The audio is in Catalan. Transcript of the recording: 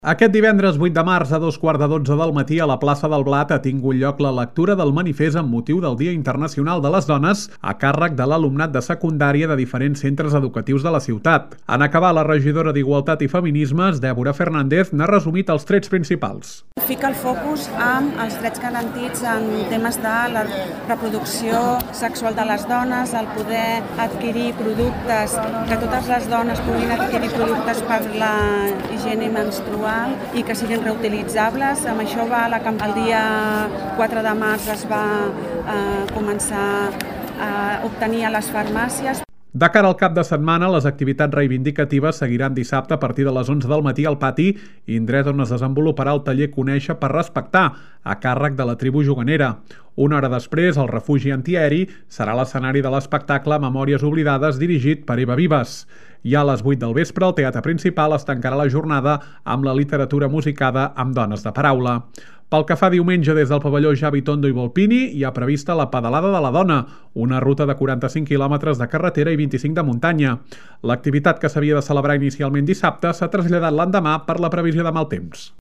Aquest divendres 8 de març a 2:15 del matí a la plaça del Blat ha tingut lloc la lectura del manifest amb motiu del Dia Internacional de les Dones a càrrec de l'alumnat de secundària de diferents centres educatius de la ciutat. En acabar, la regidora d'Igualtat i Feminismes, Dèbora Fernández, n'ha resumit els trets principals. Fica el focus amb els drets garantits en temes de la reproducció sexual de les dones, el poder adquirir productes, que totes les dones puguin adquirir productes per la higiene menstrual i que siguin reutilitzables. Amb això va el dia 4 de març es va començar a obtenir a les farmàcies. De cara al cap de setmana, les activitats reivindicatives seguiran dissabte a partir de les 11 del matí al pati, indret on es desenvoluparà el taller Conèixer per respectar, a càrrec de la tribu juganera. Una hora després, el refugi antiaeri serà l'escenari de l'espectacle Memòries oblidades dirigit per Eva Vives. I a les 8 del vespre, el teatre principal es tancarà la jornada amb la literatura musicada amb dones de paraula. Pel que fa diumenge des del pavelló Javi Tondo i Volpini, hi ha prevista la Pedalada de la Dona, una ruta de 45 quilòmetres de carretera i 25 de muntanya. L'activitat que s'havia de celebrar inicialment dissabte s'ha traslladat l'endemà per la previsió de mal temps.